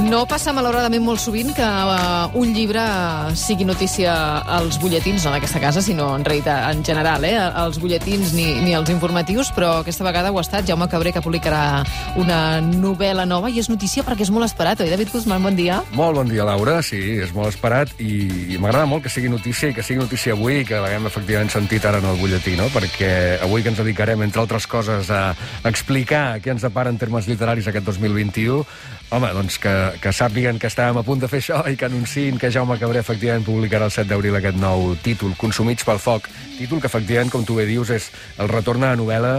No passa malauradament molt sovint que un llibre sigui notícia als butlletins, no d'aquesta casa, sinó en realitat en general, als butlletins ni als informatius, però aquesta vegada ho ha estat Jaume Cabré, que publicarà una novel·la nova i és notícia perquè és molt esperat, oi, David Guzmán? Bon dia. Molt bon dia, Laura. Sí, és molt esperat i m'agrada molt que sigui notícia i que sigui notícia avui, que l'haguem efectivament sentit ara en el butlletí, no? Perquè avui que ens dedicarem, entre altres coses, a explicar què ens depara en termes literaris aquest 2021, home, doncs que sàpiguen que estàvem a punt de fer això i que anunciïn que Jaume Cabré efectivament publicarà el 7 d'abril aquest nou títol, Consumits pel foc. Títol que efectivament, com tu bé dius, és el retorn a la novel·la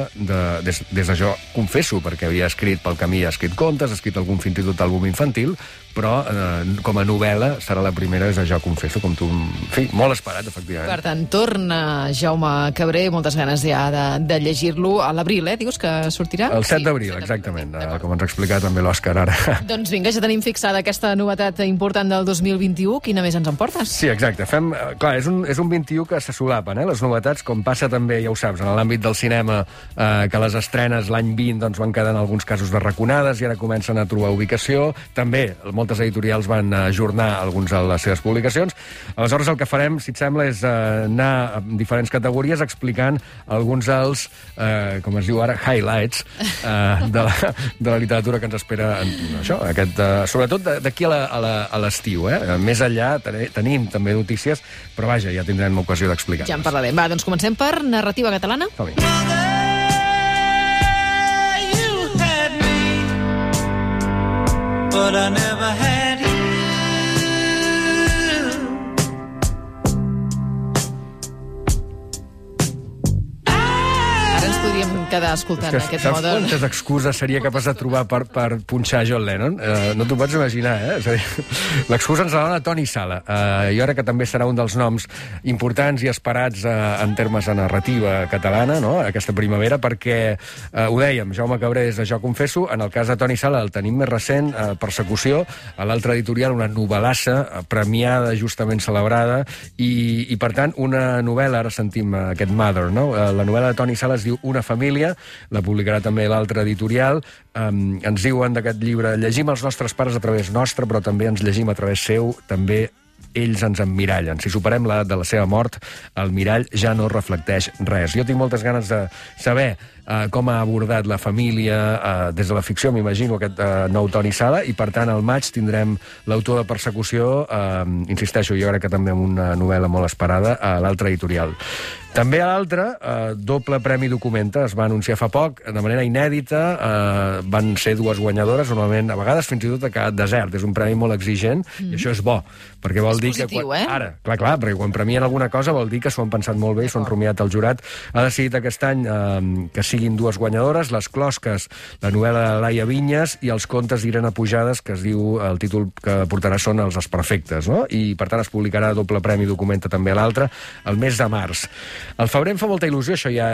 des de Jo confesso, perquè havia escrit pel camí, ha escrit contes, ha escrit algun fins i tot àlbum infantil, però com a novel·la serà la primera, és Jo confesso, com tu... En fi, molt esperat, efectivament. Per tant, torna Jaume Cabré, moltes ganes ja de llegir-lo a l'abril, Dius que sortirà? El 7 d'abril, exactament, com ens ha explicat també l'Òscar ara. Doncs vinga, ja tenim fixada aquesta novetat important del 2021. Quina més ens en portes? Sí, exacte. Clar, és un 21 que se solapen, les novetats, com passa també, ja ho saps, en l'àmbit del cinema, que les estrenes l'any 20 doncs, van quedar en alguns casos de i ara comencen a trobar ubicació. També moltes editorials van ajornar alguns de les seves publicacions. Aleshores, el que farem, si et sembla, és anar a diferents categories explicant alguns dels, com es diu ara, highlights de la literatura que ens espera això, sobretot d'aquí a l'estiu. Més enllà tenim també notícies, però vaja, ja tindrem ocasió d'explicar. Ja en parlarem. Va, doncs comencem per narrativa catalana. Som-hi. But I never had you. Ara ens podríem quedar escoltant aquest saps Modern. quantes excuses seria capaç de trobar per punxar John Lennon? No t'ho pots imaginar, És a dir, l'excusa ens la dona Toni Sala. Jo crec que també serà un dels noms importants i esperats en termes de narrativa catalana, no?, aquesta primavera, perquè, ho dèiem, Jaume Cabré és de Jo confesso, en el cas de Toni Sala el tenim més recent, Persecució, a l'altra editorial, una novel·lassa premiada, justament celebrada, i per tant, una novel·la, ara sentim aquest Mother, no? La novel·la de Toni Sala es diu Una família, la publicarà també l'altra editorial. Ens diuen d'aquest llibre: llegim els nostres pares a través nostre, però també ens llegim a través seu, també ells ens emmirallen. Si superem l'edat de la seva mort, el mirall ja no reflecteix res. Jo tinc moltes ganes de saber com ha abordat la família des de la ficció, m'imagino, aquest nou Toni Sala, i per tant al maig tindrem l'autor de Persecució, insisteixo, jo crec que també amb una novel·la molt esperada, a l'altra editorial. També a l'altra, doble Premi Documenta, es va anunciar fa poc, de manera inèdita, van ser dues guanyadores, normalment, a vegades fins i tot ha quedat desert, és un premi molt exigent, i això és bo, perquè vol dir que... positiu, Ara, clar, perquè quan premien alguna cosa vol dir que s'ho han pensat molt bé i s'ho han rumiat el jurat. Ha decidit aquest any que siguin dues guanyadores, Les closques, la novel·la de Laia Vinyes, i Els contes d'Irene Pujades, que es diu, el títol que portarà són Els desperfectes, no? I per tant es publicarà doble Premi Documenta també a l'altra, el mes de març. Al febrer em fa molta il·lusió, això ja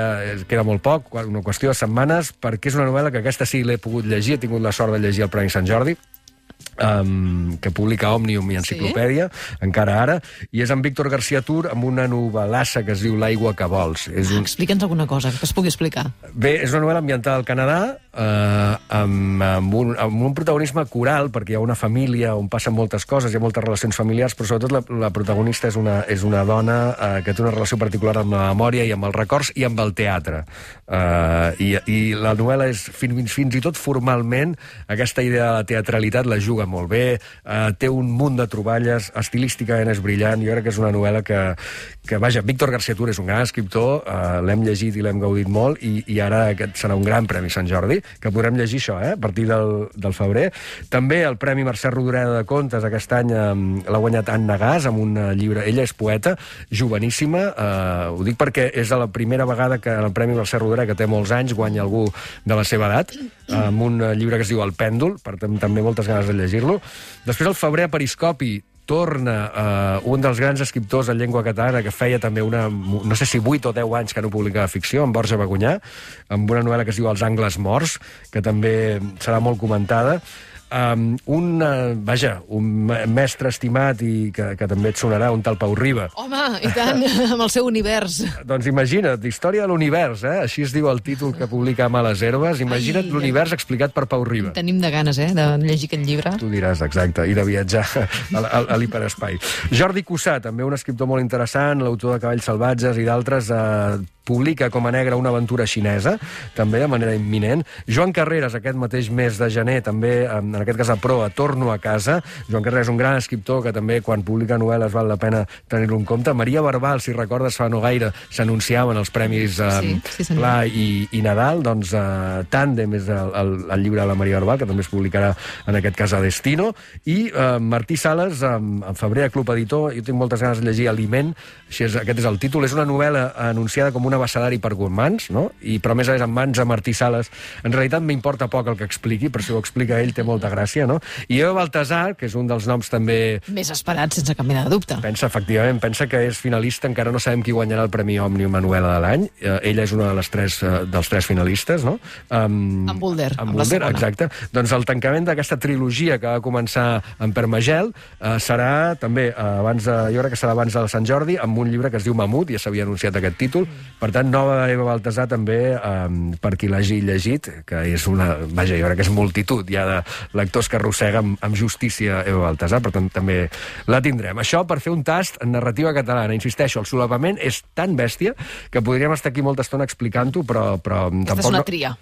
queda molt poc, una qüestió de setmanes, perquè és una novel·la que aquesta sí l'he pogut llegir, he tingut la sort de llegir el Premi Sant Jordi, que publica Òmnium i Enciclopèdia, encara ara, i és en Víctor García Tur, amb una novel·lassa que es diu L'aigua que vols. Explica'ns alguna cosa, que es pugui explicar. Bé, és una novel·la ambientada al Canadà, amb un protagonisme coral, perquè hi ha una família on passen moltes coses, hi ha moltes relacions familiars, però sobretot la protagonista és una dona que té una relació particular amb la memòria i amb els records i amb el teatre. I la novel·la és, fins i tot formalment, aquesta idea de la teatralitat la juga molt bé, té un munt de troballes, estilísticament és brillant, jo crec que és una novel·la que vaja, Víctor García Tur és un gran escriptor, l'hem llegit i l'hem gaudit molt, i ara aquest serà un gran Premi Sant Jordi, que podrem llegir això, a partir del febrer. També el Premi Mercè Rodoreda de Contes aquest any l'ha guanyat Anna Gas, amb un llibre, ella és poeta, joveníssima, ho dic perquè és la primera vegada que el Premi Mercè Rodoreda, que té molts anys, guanya algú de la seva edat, amb un llibre que es diu El pèndol, per tant també moltes ganes de llegir-lo. Després al febrer a Periscopi torna un dels grans escriptors en llengua catalana que feia també no sé si 8 o 10 anys que no publicava ficció, en Borja Bagunyà, amb una novel·la que es diu Els angles morts, que també serà molt comentada. un mestre estimat i que també et sonarà, un tal Pau Riba. Home, i tant, amb el seu univers. Doncs imagina't, història de l'univers, així es diu el títol que publica Males Herbes. Imagina't l'univers explicat per Pau Riba. Tenim de ganes, de llegir aquest llibre. Tu diràs, exacte, i de viatjar a l'hiperespai. Jordi Cussà, també un escriptor molt interessant, l'autor de Cavalls salvatges i d'altres, publica com a negre una aventura xinesa, també de manera imminent. Joan Carreras, aquest mateix mes de gener, també, en aquest cas a proa, Torno a casa. Joan Carreras és un gran escriptor que també, quan publica novel·les, val la pena tenir-lo en compte. Maria Barbal, si recordes, fa no gaire, s'anunciaven els premis Pla i Nadal. Doncs Tàndem és el llibre de la Maria Barbal, que també es publicarà, en aquest cas, a Destino. I Martí Sales, en febrer, a Club Editor, jo tinc moltes ganes de llegir Aliment, aquest és el títol. És una novel·la anunciada com un abecedari per gormands, no? Però a més en mans de Martí Sales. En realitat m'importa poc el que expliqui, però si ho explica ell té molta gràcia, no? I Eva Baltasar, que és un dels noms també... Més esperat, sense cap mena de dubte. Efectivament, pensa que és finalista, encara no sabem qui guanyarà el Premi Òmnium a novel·la de l'any. Ella és una de dels tres finalistes, no? En Boulder, amb la segona. Exacte. Doncs el tancament d'aquesta trilogia que va començar en Permagel serà també, jo crec que serà abans de Sant Jordi, amb un llibre que es diu Mamut, ja s'havia anunciat aquest títol. Per tant, nova Eva Baltasar també, per qui l'hagi llegit, que és una... Vaja, jo crec que és multitud ja de lectors que arrossega amb justícia Eva Baltasar, per tant, també la tindrem. Això per fer un tast en narrativa catalana. Insisteixo, el solapament és tan bèstia que podríem estar aquí molta estona explicant-ho, però aquesta és una tria,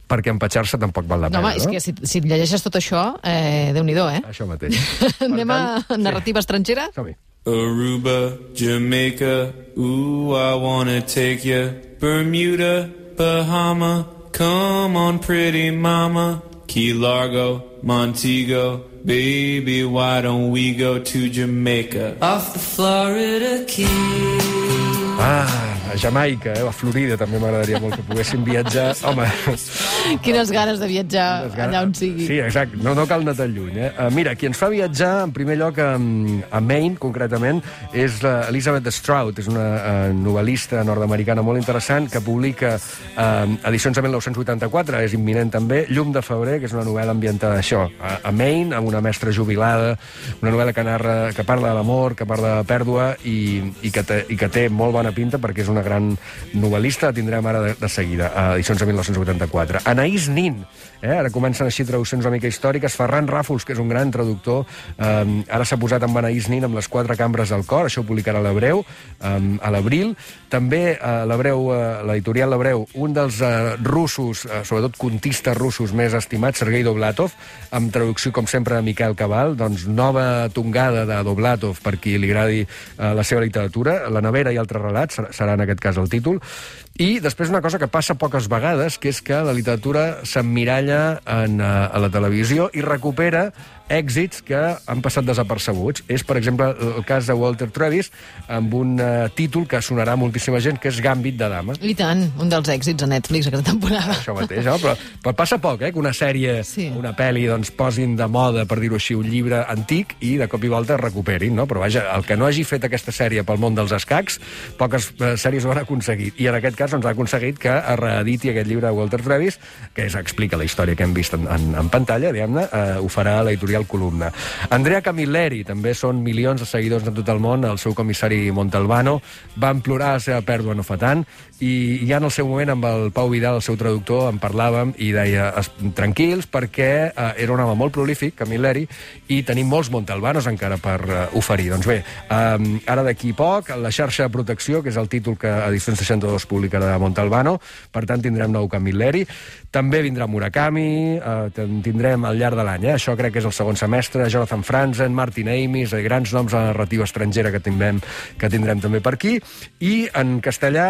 perquè empatxar-se tampoc val la pena, no? Home, és que si llegeixes tot això, Déu-n'hi-do, Això mateix. Anem a narrativa estrangera? Som-hi. Aruba, Jamaica, ooh, I wanna take ya. Bermuda, Bahama, come on pretty mama. Key Largo, Montego, baby, why don't we go to Jamaica? Off the Florida Keys. A Jamaica, a Florida també m'agradaria molt que poguéssim viatjar. Home... Quines ganes de viatjar allà on sigui. Sí, exacte, no cal anar tan lluny. Mira, qui ens fa viatjar, en primer lloc, a Maine, concretament, és Elizabeth Strout, és una novel·lista nord-americana molt interessant, que publica edicions de 1984, és imminent també, Llum de febrer, que és una novel·la ambientada això, a Maine, amb una mestra jubilada, una novel·la que parla de l'amor, que parla de pèrdua i que té molt bona pinta perquè és una gran novel·lista, la tindrem ara de seguida, a edicions de 1984. Anaïs Nin, ara comencen així traduccions una mica històriques. Ferran Ràfols, que és un gran traductor, ara s'ha posat amb Anaïs Nin amb Les quatre cambres del cor, això ho publicarà a l'Hebreu, a l'abril. També l'editorial L'Hebreu, un dels russos, sobretot contistes russos més estimats, Sergei Dovlatov, amb traducció, com sempre, de Miquel Cabal, doncs nova tongada de Dovlatov per qui li agradi la seva literatura. La nevera i altres relats serà en aquest cas el títol. I després una cosa que passa poques vegades, que és que la literatura s'emmiralla a la televisió i recupera èxits que han passat desapercebuts. És, per exemple, el cas de Walter Travis, amb un títol que sonarà a moltíssima gent, que és Gambit de dama. I tant, un dels èxits a Netflix aquesta temporada. Això mateix, però passa poc, que una sèrie, una pel·li, doncs, posin de moda, per dir-ho així, un llibre antic i de cop i volta es recuperin, no? Però vaja, el que no hagi fet aquesta sèrie pel món dels escacs, poques sèries ho han aconseguit. I en aquest cas ha aconseguit que es reediti aquest llibre de Walter Travis, que explica la història que hem vist en pantalla, diguem-ne, ho farà l'editorial Columna. Andrea Camilleri, també són milions de seguidors de tot el món, el seu comissari Montalbano, van plorar la seva pèrdua no fa tant, i ja en el seu moment amb el Pau Vidal, el seu traductor, en parlàvem i deia, tranquils, perquè era un home molt prolífic, Camilleri, i tenim molts Montalbanos encara per oferir. Doncs bé, ara d'aquí poc, la xarxa de protecció, que és el títol que Edicions 62 publicarà de Montalbano, per tant tindrem nou Camilleri. També vindrà Murakami, tindrem al llarg de l'any, això crec que és el segon semestre, Jonathan Franzen, Martin Amis, grans noms de la narrativa estrangera que tindrem també per aquí. I en castellà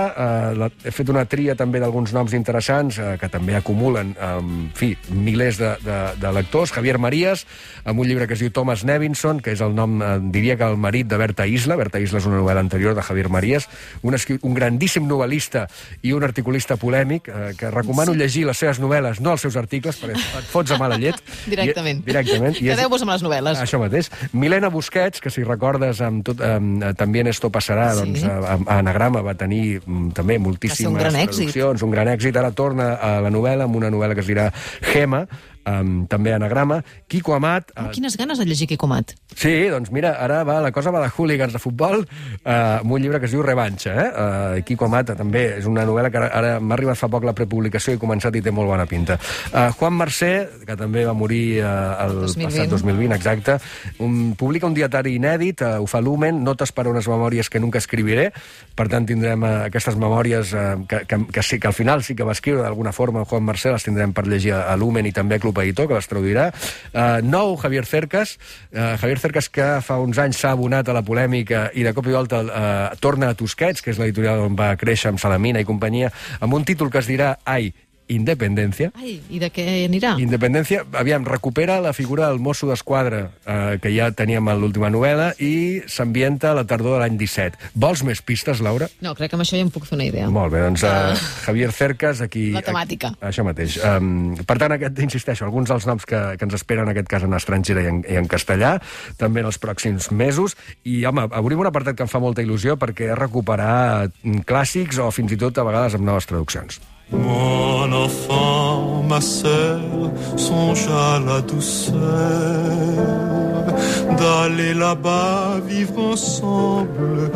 he fet una tria també d'alguns noms interessants que també acumulen, en fi, milers de lectors. Javier Marías, amb un llibre que es diu Thomas Nevinson, que és el nom, diria que el marit de Berta Isla. Berta Isla és una novel·la anterior de Javier Marías, un grandíssim novel·lista i un articulista polèmic, que recomano llegir les seves novel·les, no els seus articles, perquè et fots a mala llet. Directament. Quedeu-vos amb les novel·les. Això mateix. Milena Busquets, que si recordes, també esto passarà, doncs, a Anagrama va tenir també moltíssimes traduccions, un gran èxit. Ara torna a la novel·la, amb una novel·la que es dirà Gema, també anagrama. Quico Amat... Quines ganes de llegir Quico Amat. Sí, doncs mira, ara la cosa va de hooligans de futbol, amb un llibre que es diu Revanxa. Quico Amat també és una novel·la que ara m'ha arribat fa poc la prepublicació i he començat i té molt bona pinta. Juan Mercè, que també va morir el passat 2020, exacte, publica un dietari inèdit, ho fa Lumen, Notes per a unes memòries que nunca escribiré. Per tant, tindrem aquestes memòries que al final sí que va escriure d'alguna forma Juan Mercè, les tindrem per llegir a Lumen i també a Club Editor, que les traduirà. Nou, Javier Cercas. Javier Cercas, que fa uns anys s'ha abonat a la polèmica i de cop i volta torna a Tusquets, que és l'editorial on va créixer amb Salamina i companyia, amb un títol que es dirà Ai, Independència. Ai, i de què anirà? Independència, aviam, recupera la figura del mosso d'esquadra que ja teníem a l'última novel·la i s'ambienta a la tardor de l'any 17. Vols més pistes, Laura? No, crec que amb això ja em puc fer una idea. Molt bé, doncs Javier Cercas, aquí... La temàtica. Això mateix. Per tant, insisteixo, alguns dels noms que ens esperen en aquest cas en estrangera i en castellà, també en els pròxims mesos, i home, obrim un apartat que em fa molta il·lusió perquè és recuperar clàssics o fins i tot a vegades amb noves traduccions. Mon enfant, ma sœur, songe à la douceur d'aller là-bas vivre ensemble,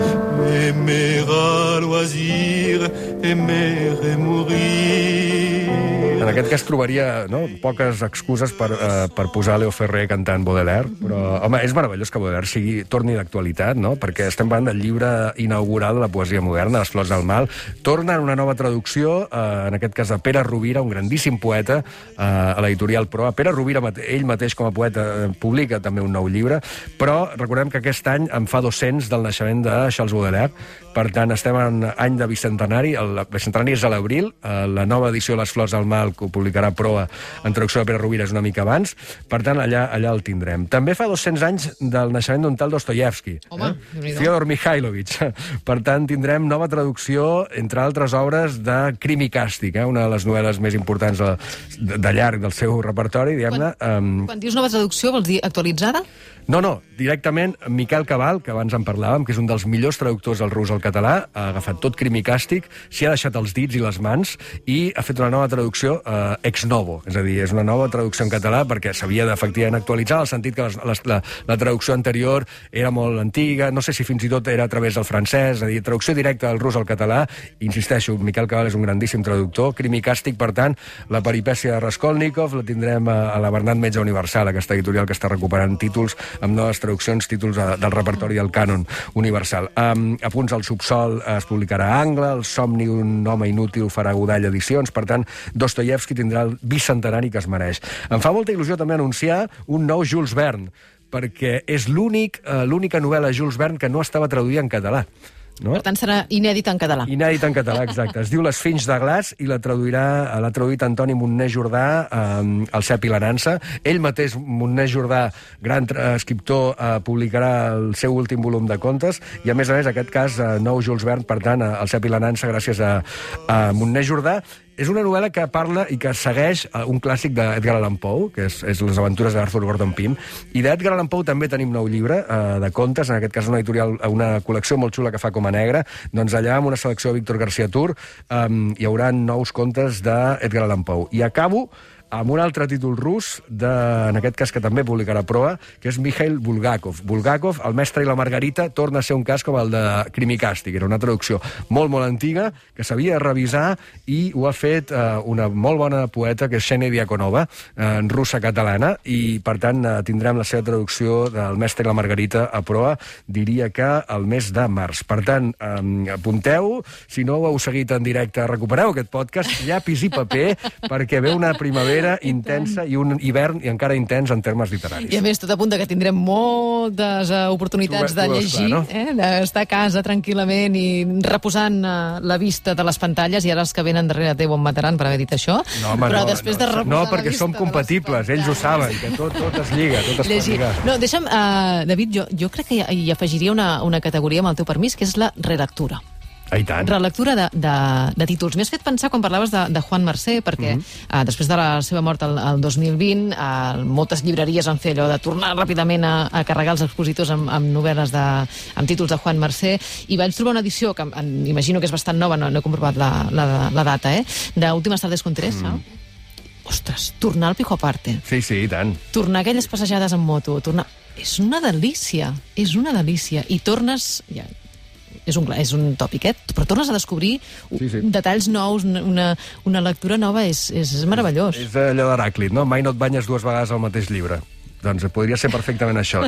aimer à loisir, aimer et mourir. En aquest cas trobaria poques excuses per posar Leo Ferrer cantant Baudelaire, però, home, és meravellós que Baudelaire torni d'actualitat, no? Perquè estem parlant del llibre inaugural de la poesia moderna, Les flors del mal. Torna en una nova traducció, en aquest cas de Pere Rovira, un grandíssim poeta, a l'editorial Proa. Pere Rovira, ell mateix com a poeta, publica també un nou llibre, però recordem que aquest any en fa 200 del naixement de Charles Baudelaire. Per tant, estem en any de bicentenari. El bicentenari és a l'abril. La nova edició de Les flors del mal, que ho publicarà Proa en traducció de Pere Rovira, és una mica abans. Per tant, allà el tindrem. També fa 200 anys del naixement d'un tal Dostoyevsky. Home, Fyodor Mikhailovich. Per tant, tindrem nova traducció, entre altres obres, de Crim i Càstig, una de les novel·les més importants de llarg del seu repertori, diguem-ne. Quan dius nova traducció, vols dir actualitzada? No, directament Miquel Cabal, que abans en parlàvem, que és un dels millors traductors del rus al català, ha agafat tot Crim i Càstig, s'hi ha deixat els dits i les mans i ha fet una nova traducció ex novo, és a dir, és una nova traducció en català perquè s'havia d'efectivament actualitzar, en el sentit que la traducció anterior era molt antiga, no sé si fins i tot era a través del francès, és a dir, traducció directa del rus al català. Insisteixo, Miquel Cabal és un grandíssim traductor. Crim i Càstig, per tant, la peripècia de Raskolnikov la tindrem a la Bernat Metge Universal, aquesta editorial que està recuperant títols amb noves traduccions, títols del repertori del cànon universal. A Punts al subsol es publicarà Angle, El somni d'un home inútil farà Godall Edicions, per tant, Dostoyevsky tindrà el bicentenari que es mereix. Em fa molta il·lusió també anunciar un nou Jules Verne, perquè és l'única novel·la Jules Verne que no estava traduïda en català. No? Per tant, serà inèdit en català. Inèdit en català, exacte. Es diu Les Finys de Glaç i l'ha traduït Antoni Montner Jordà, el Cep i la Nansa. Ell mateix, Montner Jordà, gran escriptor, publicarà el seu últim volum de contes i, a més, aquest cas, nou Jules Verne, per tant, el Cep i la Nansa, gràcies a Montner Jordà. És una novel·la que parla i que segueix un clàssic d'Edgar Allan Poe, que és Les aventures d'Arthur Gordon Pym. I d'Edgar Allan Poe també tenim nou llibre de contes, en aquest cas una editorial, una col·lecció molt xula que fa Coma Negra. Doncs allà, amb una selecció de Víctor García Tur, hi haurà nous contes d'Edgar Allan Poe. I acabo amb un altre títol rus, en aquest cas que també publicarà Proa, que és Mikhail Bulgakov. Bulgakov, El mestre i la Margarita, torna a ser un cas com el de Crim i Càstig. Era una traducció molt, molt antiga, que s'havia de revisar, i ho ha fet una molt bona poeta, que és Xenia Diakonova, en russa catalana, i per tant tindrem la seva traducció del mestre i la Margarita a Proa, diria que el mes de març. Per tant, apunteu, si no ho heu seguit en directe, recupereu aquest podcast, llapis i paper, perquè ve una primavera intensa i un hivern i encara intens en termes literaris. I a més, tot apunta que tindrem moltes oportunitats de llegir, d'estar a casa tranquil·lament i reposant la vista de les pantalles, i ara els que venen darrere teu em mataran per haver dit això. Però després de reposar no, perquè som compatibles, ells ho saben, que tot es lliga, tot es pot lligar. No, deixa'm, David, jo crec que hi afegiria una categoria, amb el teu permís, que és la relectura. Relectura de títols. M'has fet pensar quan parlaves de Juan Mercè, perquè després de la seva mort el 2020, moltes llibreries han fet allò de tornar ràpidament a carregar els expositors amb novel·les amb títols de Juan Mercè, i vaig trobar una edició que imagino que és bastant nova, no he comprovat la data, d'Últimes tardes con Teresa, ostres, tornar al Pijo Aparte, Sí, i tant. tornar a aquelles passejades en moto, tornar... És una delícia, és una delícia. I tornes... Ja, és un tòpic, però tornes a descobrir detalls nous, una lectura nova, és meravellós. És allò d'Heràclit, no? Mai no et banyes 2 vegades al mateix llibre. Doncs podria ser perfectament això.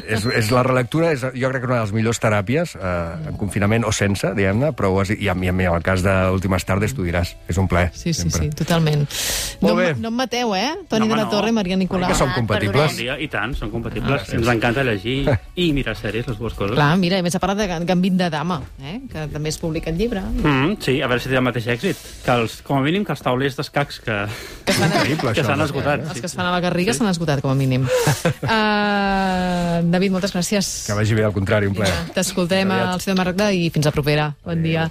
La relectura és, jo crec que una de les millors teràpies, en confinament o sense, diguem-ne, però i en el cas d'Últimes Tardes tu diràs, és un plaer. Sí, totalment. No em mateu, Toni de la Torre i Maria Nicolau. Que som compatibles. I tant, som compatibles. Ens encanta llegir i mirar sèries, les dues coses. Clar, mira, a més ha parlat de Gambit de Dama, que també es publica el llibre. Sí, a veure si té el mateix èxit. Com a mínim que els taulers d'escacs que s'han esgotat. Els que es fan a la Garriga s'han esgotat, com a mínim. David, moltes gràcies. Que vagi bé, al contrari, un plaer. T'escoltem al Ciutat Marroc i fins la propera. Bon dia.